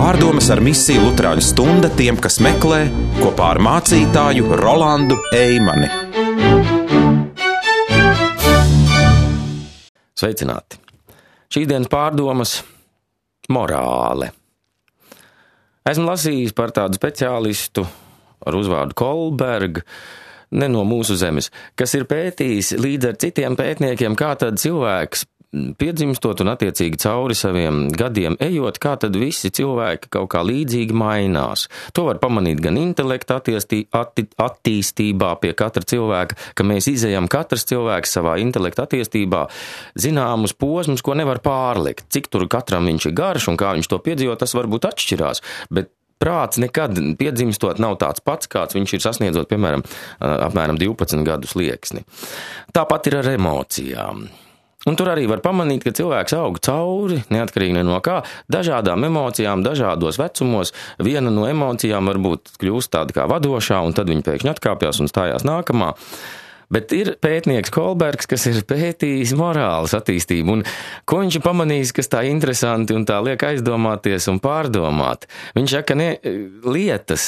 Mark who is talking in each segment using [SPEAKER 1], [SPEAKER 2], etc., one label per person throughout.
[SPEAKER 1] Pārdomas ar misiju Luterāņu stunda tiem, kas meklē, kopā ar mācītāju Rolandu Eimani.
[SPEAKER 2] Sveicināti! Šīs dienas pārdomas – morāle. Esmu lasījis par tādu speciālistu ar uzvārdu Kolberg, ne no mūsu zemes, kas ir pētījis līdz ar citiem pētniekiem, kā tad cilvēks piedzimstot un attiecīgi cauri saviem gadiem ejot, kā tad visi cilvēki kaut kā līdzīgi mainās. To var pamanīt gan intelekta attīstībā pie katra cilvēka, ka mēs izejam katrs cilvēks savā intelekta attīstībā zināmus posmus, ko nevar pārlikt. Cik tur katram viņš ir garš un kā viņš to piedzīvo, tas varbūt atšķirās, bet prāts nekad piedzimstot nav tāds pats, kāds viņš ir sasniedzot, piemēram, apmēram 12 gadu slieksni. Tāpat ir ar emocijām. Un tur arī var pamanīt, ka cilvēks aug cauri, neatkarīgi no kā, dažādām emocijām, dažādos vecumos. Viena no emocijām varbūt kļūst tāda kā vadošā, un tad viņa pēkšņi atkāpjas un stājās nākamā. Bet ir pētnieks Kolbergs, kas ir pētījis morāles attīstību, un ko viņš ir pamanījis, kas tā interesanti un tā liek aizdomāties un pārdomāt. Viņš saka, lietas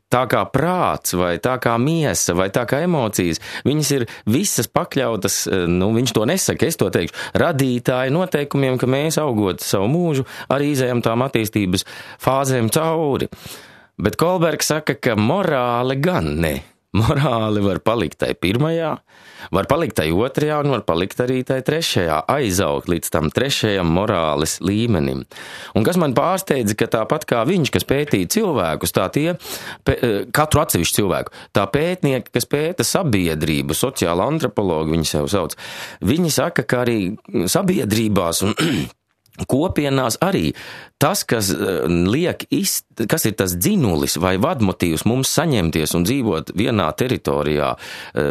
[SPEAKER 2] tā kā prāts, vai tā kā miesa, vai tā kā emocijas, viņas ir visas pakļautas, viņš to nesaka, es to teikšu, radītāji noteikumiem, ka mēs augot savu mūžu arī izējam tām attīstības fāzēm cauri. Bet Kolbergs saka, ka morāle gan ne. Morāli var palikt tai pirmajā, var palikt tai otrajā un var palikt arī tai trešajā, aizaugt līdz tam trešajam morāles līmenim. Un kas man pārsteidza, ka tāpat kā viņš, kas pētīja cilvēkus, tā tie, katru atsevišķu cilvēku, tā pētnieki, kas pēta sabiedrību, sociāla antropologi viņi sev sauc, viņi saka, ka arī sabiedrībās un kopienās arī tas, kas kas ir tas dzinulis vai vadmotīvs mums saņemties un dzīvot vienā teritorijā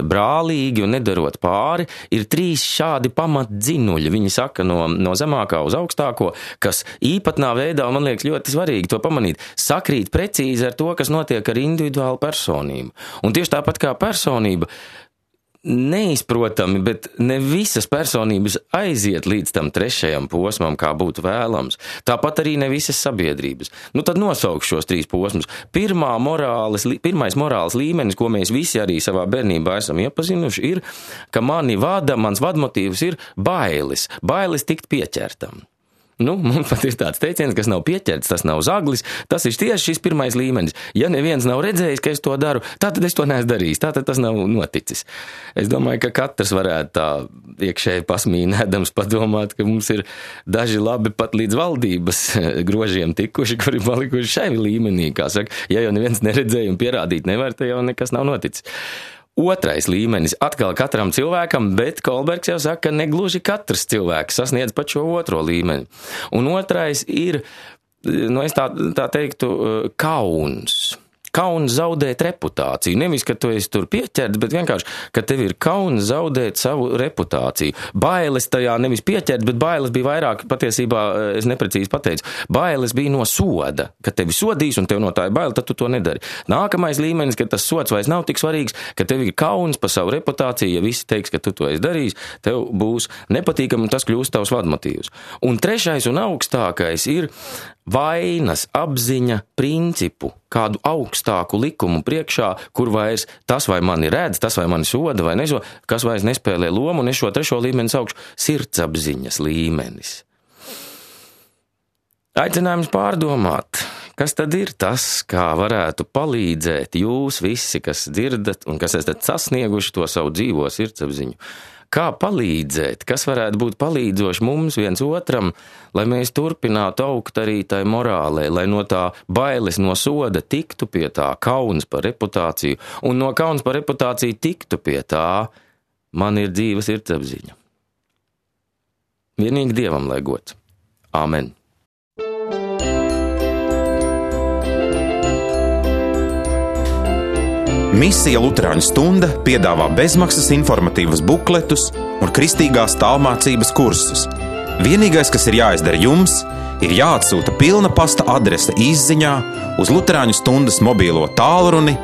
[SPEAKER 2] brālīgi un nedarot pāri, ir 3 šādi pamatdzinuļi. Viņi saka no zemākā uz augstāko, kas īpatnā veidā, man liekas, ļoti svarīgi to pamanīt, sakrīt precīzi ar to, kas notiek ar individuālu personību. Un tieši tāpat kā personība, neizprotami, bet ne visas personības aiziet līdz tam trešajam posmam, kā būtu vēlams. Tāpat arī ne visas sabiedrības. Tad nosaukšu šos 3 posmus. Pirmais morāles līmenis, ko mēs visi arī savā bērnībā esam iepazinuši, ir, ka mans vadmotīvs ir bailes. Bailes tikt pieķertam. Mums pat ir tāds teiciens, kas nav pieķerts, tas nav zaglis, tas ir tieši šis pirmais līmenis. Ja neviens nav redzējis, ka es to daru, tātad es to neesmu darījis, tātad tas nav noticis. Es domāju, ka katrs varētu tā iekšēji pasmīnēdams padomāt, ka mums ir daži labi pat līdz valdības grožiem tikuši, kuri palikuši šai līmenī, kā saka, ja jau neviens neredzēja un pierādīt nevar, tad jau nekas nav noticis. Otrais līmenis atkal katram cilvēkam, bet Kolbergs jau saka, ka negluži katrs cilvēks sasniedz pat šo otro līmeni. Un otrais ir, es tā teiktu, kauns. Kauns zaudēt reputāciju. Nevis, ka tu esi tur pieķerts, bet vienkārši, ka tev ir kauns zaudēt savu reputāciju. Bailes tajā nevis pieķerts, bet bailes bija vairāk, patiesībā, es neprecīzi pateicu, bailes bija no soda, ka tevi sodīs un tev no tā ir baila, tad tu to nedari. Nākamais līmenis, ka tas sods vairs nav tik svarīgs, ka tev ir kauns par savu reputāciju, ja visi teiks, ka tu to esi darījis, tev būs nepatīkami un tas kļūst tavs vadmotīvs. Un trešais un augstākais ir vainas apziņa principu, kādu augstāku likumu priekšā, kur vairs tas vai mani redz, tas vai mani soda vai nesoda, kas vairs nespēlē lomu, un es šo trešo līmeni saukšu sirdsapziņas līmenis. Aicinājums pārdomāt, kas tad ir tas, kā varētu palīdzēt jūs visi, kas dzirdat un kas esat sasnieguši to savu dzīvo sirdsapziņu. Kā palīdzēt, kas varētu būt palīdzoši mums viens otram, lai mēs turpinātu augt arī tai morālē, lai no tā bailes no soda tiktu pie tā kauns par reputāciju, un no kauns par reputāciju tiktu pie tā, man ir dzīva sirdsapziņa. Vienīgi Dievam lai gods. Āmen.
[SPEAKER 1] Misija Luterāņu stunda piedāvā bezmaksas informatīvas bukletus un kristīgās tālmācības kursus. Vienīgais, kas ir jāizdara jums, ir jāatsūta pilna pasta adrese izziņā uz Luterāņu stundas mobīlo tālruni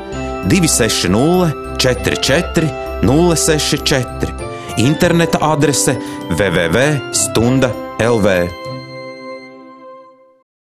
[SPEAKER 1] 260 44 064, interneta adrese www.stunda.lv.